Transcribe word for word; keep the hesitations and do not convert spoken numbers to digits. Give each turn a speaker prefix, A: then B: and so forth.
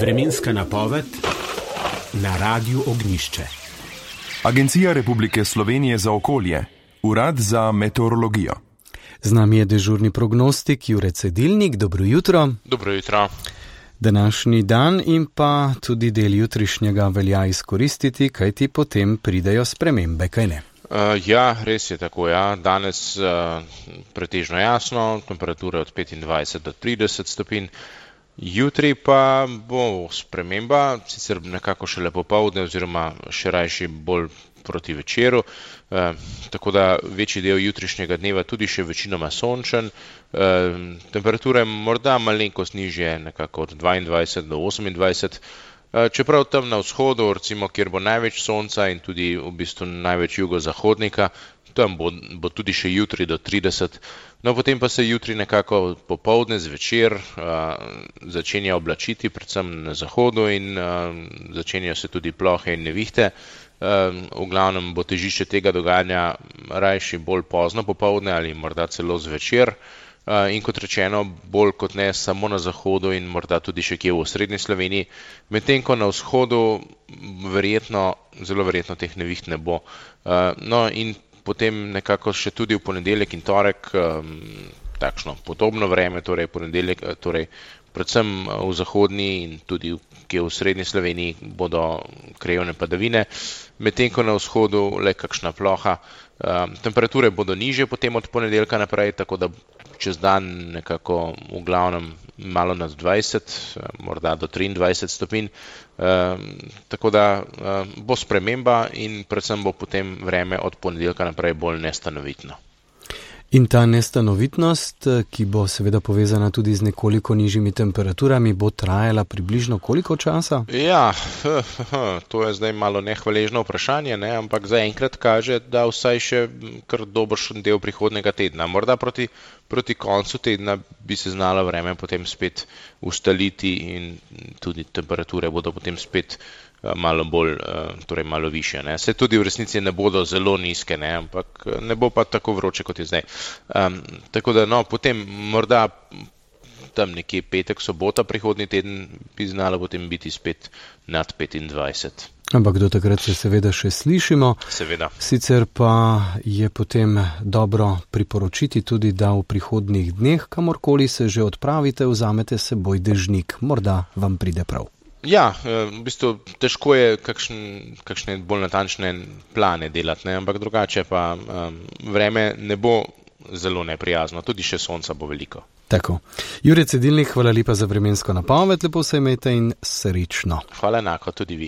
A: Vremenska napoved na Radiu Ognjišče.
B: Agencija Republike Slovenije za okolje, Urad za meteorologijo.
C: Z nami je dežurni prognostik Jure Cedilnik. Dobro jutro.
D: Dobro jutro.
C: Današnji dan in pa tudi del jutrišnjega velja izkoristiti, kajti potem pridejo spremembe, kaj ne?
D: Uh, ja, res je tako, ja. Danes uh, pretežno jasno, temperature od petindvajset do trideset stopinj. Jutri pa bo sprememba, sicer nekako šele popoldne oziroma še rajši bolj proti večeru, eh, tako da večji del jutrišnjega dneva tudi še večinoma sončen, eh, temperature morda malenkost nižje, nekako od dvaindvajset do osemindvajset, eh, čeprav tam na vzhodu, recimo, kjer bo največ sonca in tudi v bistvu največ jugozahodnika, tam bo, bo tudi še jutri do trideset. No, potem pa se jutri nekako popoldne zvečer uh, začenja oblačiti, predvsem na zahodu in uh, začenjajo se tudi plohe in nevihte. Uh, v glavnem bo težišče tega dogajanja rajši bolj pozno popoldne ali morda celo zvečer. Uh, in kot rečeno, bolj kot ne samo na zahodu in morda tudi še kje v osrednji Sloveniji, medtem ko na vzhodu verjetno, zelo verjetno teh neviht ne bo. Uh, no in potem nekako še tudi v ponedeljek in torek um, takšno podobno vreme, torej ponedeljek, torej predvsem v zahodni in tudi kje v srednji Sloveniji bodo krajevne padavine, medtem ko na vzhodu le kakšna ploha. Um, temperature bodo nižje potem od ponedeljka naprej, tako da čez dan nekako v glavnem malo nad dvajset, morda do triindvajset stopinj. Um, tako da um, bo sprememba in predvsem bo potem vreme od ponedeljka naprej bolj nestanovitno.
C: In ta nestanovitnost, ki bo seveda povezana tudi z nekoliko nižjimi temperaturami, bo trajala približno koliko časa?
D: Ja, to je zdaj malo nehvaležno vprašanje, ne? Ampak zaenkrat kaže, da vsaj še kar dobršen del prihodnjega tedna. Morda proti, proti koncu tedna bi se znalo vreme potem spet ustaliti in tudi temperature bodo potem spet malo bolj, torej malo više. Ne. Se tudi v resnici ne bodo zelo nizke, ne, ampak ne bo pa tako vroče, kot je zdaj. Um, tako da, no, potem morda tam nekje petek, sobota prihodnji teden bi znalo potem biti spet nad petindvajset.
C: Ampak do takrat se seveda še slišimo.
D: Seveda.
C: Sicer pa je potem dobro priporočiti tudi, da v prihodnjih dneh, kamorkoli se že odpravite, vzamete seboj dežnik. Morda vam pride prav.
D: Ja, v bistvu težko je kakšen, kakšne bolj natančne plane delati, ne? Ampak drugače pa um, vreme ne bo zelo neprijazno, tudi še sonca bo veliko.
C: Tako. Jure Cedilnik, hvala lepa za vremensko napoved, lepo se imejte in srečno.
D: Hvala enako, tudi vi.